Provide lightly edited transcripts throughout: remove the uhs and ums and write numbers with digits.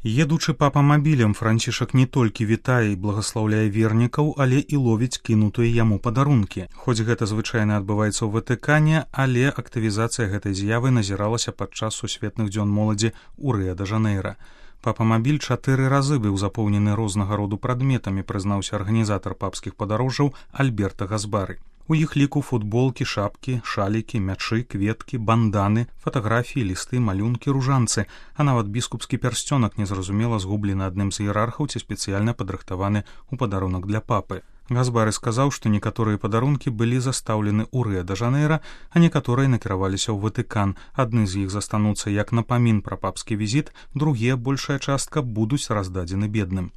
Едучы папамабілем, Францішак не толькі вітае і благаслаўляе вернікаў, але і ловіць кінутыя яму падарункі. Хоць гэта звычайна адбываецца ў Ватыкане, але актывізацыя гэтай з'явы назіралася падчас сусветных дзён моладзі ў Рыа-дэ-Жанэйра. Папамабіль 4 разы быў запоўнены рознага роду прадметамі, прызнаўся арганізатар папскіх падарожжаў Альберта Газбары. У іх ліку футболкі, шапкі, шалікі, мячы, кветкі, банданы, фатаграфіі, лісты, малюнкі, ружанцы, а нават біскупскі пярсцёнак незразумела згублены адным з іерархаў ці спецыяльна падрыхтаваны ў падарунак для папы. Газбары сказаў, што некаторыя падарункі былі застаўлены ў Рыа-дэ-Жанэйра, а некаторыя накіраваліся ў Ватыкан. Адны з іх застануцца як напамін пра папскі візіт, другія, большая частка, будуць раздадзены бедным.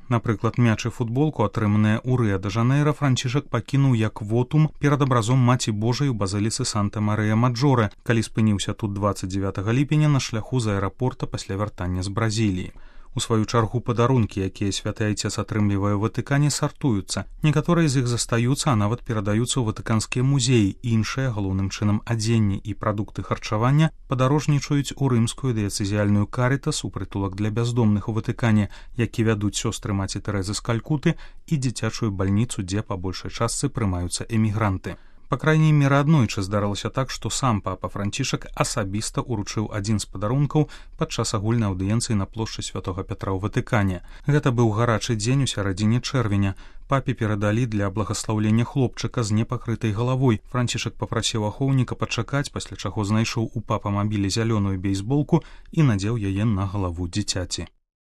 Напрыклад, мяч і футболку, атрыманыя ў Рыа-дэ-Жанэйра, Францішак пакінуў як вотум перад абразом Маці Божай у базыліцы Санта-Марыя-Маджоре, калі спыніўся тут 29 ліпеня на шляху з аэрапорта пасля вяртання з Бразіліі. У сваю чаргу падарункі, якія святы айцец атрымлівае ў Ватыкане, сартуюцца. Некаторыя з іх застаюцца, а нават перадаюцца ў ватыканскія музеі. Іншыя, галоўным чынам адзенне і прадукты харчавання, падарожнічаюць у рымскую дыяцэзіяльную Карытас, у прытулак для бяздомных у Ватыкане, які вядуць сёстры маці Тэрэзы з Калькуты, і дзіцячую бальніцу, дзе па большай частцы прымаюцца эмігранты. Па крайняй меры аднойчы здарылася так, што сам папа Францішак асабіста ўручыў адзін з падарункаў падчас агульнай аўдыенцыі на плошчы Святога Пятра ў Ватыкане. Гэта быў гарачы дзень у сярэдзіне чэрвеня. Папе перадалі для благаслаўлення хлопчыка з непакрытай галавой. Францішак папрасіў ахоўніка пачакаць, пасля чаго знайшоў у папамабілі зялёную бейсболку і надзеў яе на галаву дзіцяці.